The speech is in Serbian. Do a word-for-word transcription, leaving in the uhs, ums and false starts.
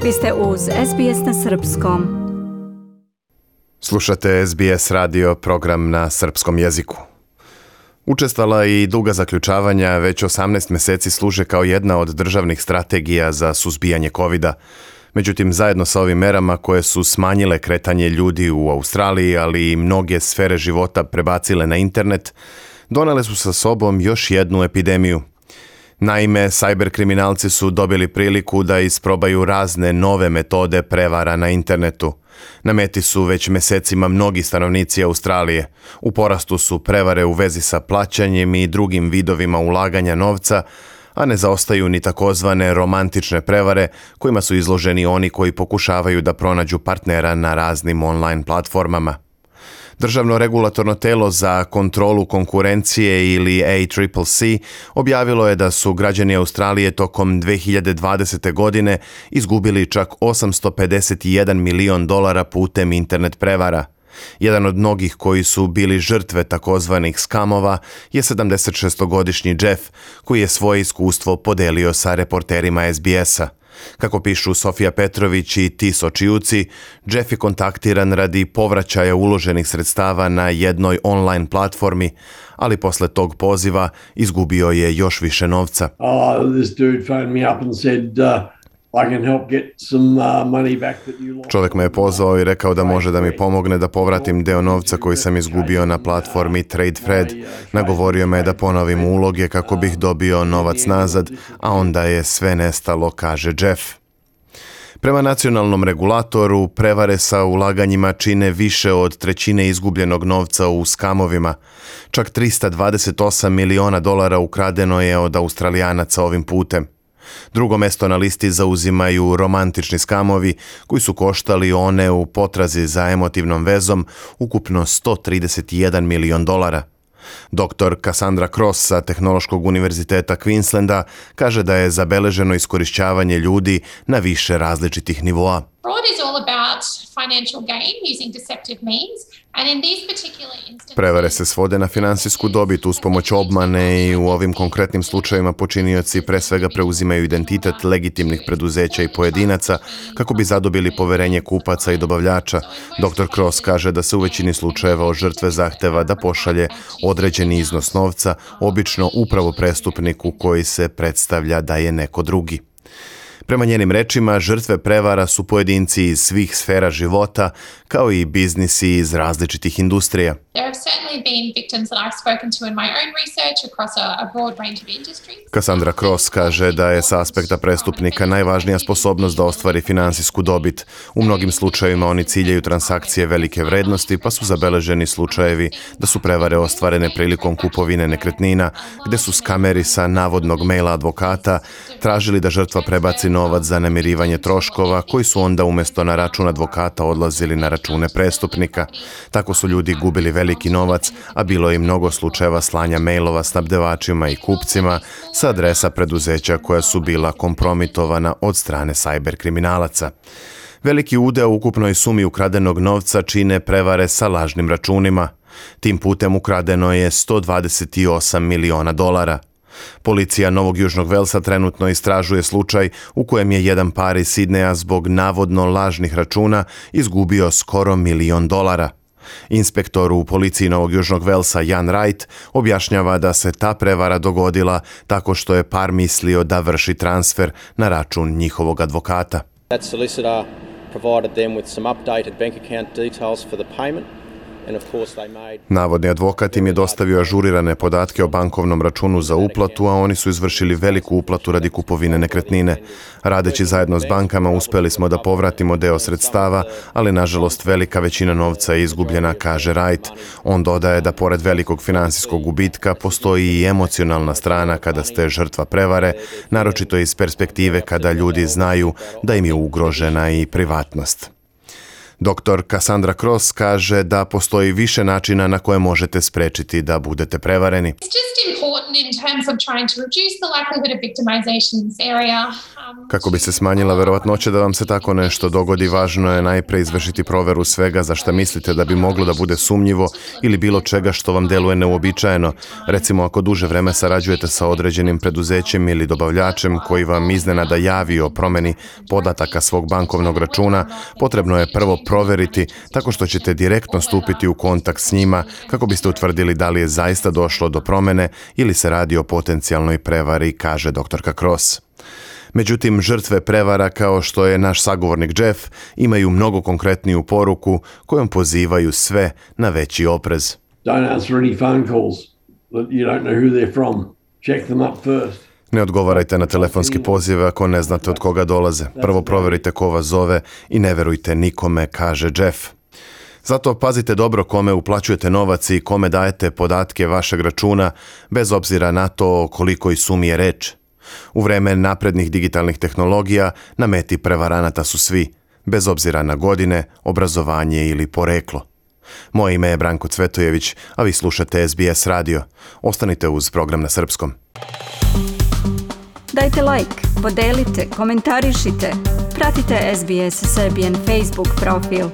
Vi ste uz S B S na srpskom. Slušate S B S radio, program na srpskom jeziku. Učestala i duga zaključavanja već osamnaest mjeseci služe kao jedna od državnih strategija za suzbijanje kovida. Međutim, zajedno sa ovim merama koje su smanjile kretanje ljudi u Australiji, ali i mnoge sfere života prebacile na internet, donele su sa sobom još jednu epidemiju. Naime, sajber kriminalci su dobili priliku da isprobaju razne nove metode prevara na internetu. Na meti su već mjesecima mnogi stanovnici Australije. U porastu su prevare u vezi sa plaćanjem i drugim vidovima ulaganja novca, a ne zaostaju ni takozvane romantične prevare kojima su izloženi oni koji pokušavaju da pronađu partnera na raznim online platformama. Državno regulatorno telo za kontrolu konkurencije ili A C C C objavilo je da su građani Australije tokom dve hiljade dvadesete. godine izgubili čak osamsto pedeset jedan milion dolara putem internet prevara. Jedan od mnogih koji su bili žrtve takozvanih skamova je sedamdesetšestogodišnji Jeff, koji je svoje iskustvo podelio sa reporterima S B S-a. Kako pišu Sofija Petrović i Tiso Čiuci, Jeff je kontaktiran radi povraćaja uloženih sredstava na jednoj online platformi, ali posle tog poziva izgubio je još više novca. Oh, this dude phoned me up and said, uh... Čovjek me je pozvao i rekao da može da mi pomogne da povratim deo novca koji sam izgubio na platformi TradeFred. Nagovorio me da ponovim uloge kako bih dobio novac nazad, a onda je sve nestalo, kaže Jeff. Prema nacionalnom regulatoru, prevare sa ulaganjima čine više od trećine izgubljenog novca u skamovima. Čak trista dvadeset osam miliona dolara ukradeno je od Australijanaca ovim putem. Drugo mesto na listi zauzimaju romantični skamovi koji su koštali one u potrazi za emotivnom vezom ukupno sto trideset jedan milion dolara. Doktor Cassandra Cross sa Tehnološkog univerziteta Queenslanda kaže da je zabeleženo iskorišćavanje ljudi na više različitih nivoa. Fraud is all about financial gain using deceptive means, and in these particular instances... Prevare se svode na finansijsku dobit uz pomoć obmane i u ovim konkretnim slučajevima počinioci pre svega preuzimaju identitet legitimnih preduzeća i pojedinaca kako bi zadobili poverenje kupaca i dobavljača. Doktor Cross kaže da se u većini slučajeva od žrtve zahteva da pošalje određeni iznos novca, obično upravo prestupniku koji se predstavlja da je neko drugi. Prema njenim rečima, žrtve prevara su pojedinci iz svih sfera života, kao i biznisi iz različitih industrija. Cassandra Cross kaže da je sa aspekta prestupnika najvažnija sposobnost da ostvari finansijsku dobit. U mnogim slučajevima oni ciljaju transakcije velike vrednosti, pa su zabeleženi slučajevi da su prevare ostvarene prilikom kupovine nekretnina, gde su skameri sa navodnog maila advokata tražili da žrtva prebaci novac za namirivanje troškova, koji su onda umjesto na račun advokata odlazili na račune prestupnika. Tako su ljudi gubili veliki novac, a bilo je i mnogo slučajeva slanja mailova snabdevačima i kupcima sa adresa preduzeća koja su bila kompromitovana od strane sajber kriminalaca. Veliki udeo u ukupnoj sumi ukradenog novca čine prevare sa lažnim računima. Tim putem ukradeno je sto dvadeset osam miliona dolara. Policija Novog Južnog Velsa trenutno istražuje slučaj u kojem je jedan par iz Sidneja zbog navodno lažnih računa izgubio skoro milion dolara. Inspektor u policiji Novog Južnog Velsa Jan Wright objašnjava da se ta prevara dogodila tako što je par mislio da vrši transfer na račun njihovog advokata. That solicitor provided them with some updated bank account details for the payment. Navodni advokat im je dostavio ažurirane podatke o bankovnom računu za uplatu, a oni su izvršili veliku uplatu radi kupovine nekretnine. Radeći zajedno s bankama uspeli smo da povratimo deo sredstava, ali nažalost velika većina novca je izgubljena, kaže Wright. On dodaje da pored velikog finansijskog gubitka postoji i emocionalna strana kada ste žrtva prevare, naročito iz perspektive kada ljudi znaju da im je ugrožena i privatnost. Doktor Cassandra Cross kaže da postoji više načina na koje možete sprečiti da budete prevareni. It's just important in terms of trying to reduce the likelihood of victimization in this area. Um, Kako bi se smanjila verovatnoća da vam se tako nešto dogodi, važno je najpre izvršiti proveru svega za šta mislite da bi moglo da bude sumnjivo ili bilo čega što vam deluje neuobičajeno. Recimo, ako duže vreme sarađujete sa određenim preduzećem ili dobavljačem koji vam iznenada javi o promeni podataka svog bankovnog računa, potrebno je prvo proveriti tako što ćete direktno stupiti u kontakt s njima kako biste utvrdili da li je zaista došlo do promene ili se radi o potencijalnoj prevari, kaže doktorka Cross. Međutim, žrtve prevara kao što je naš sagovornik Jeff imaju mnogo konkretniju poruku kojom pozivaju sve na veći oprez. Don't answer any phone calls that you don't know who they're from. Check them up first. Ne odgovarajte na telefonski pozive ako ne znate od koga dolaze. Prvo proverite ko vas zove i ne verujte nikome, kaže Jeff. Zato pazite dobro kome uplaćujete novac i kome dajete podatke vašeg računa, bez obzira na to o kolikoj sumi je reč. U vreme naprednih digitalnih tehnologija na meti prevaranata su svi, bez obzira na godine, obrazovanje ili poreklo. Moje ime je Branko Cvetojević, a vi slušate S B S radio. Ostanite uz program na srpskom. Dajte like, podelite, komentarišite. Pratite S B S Serbian Facebook profil.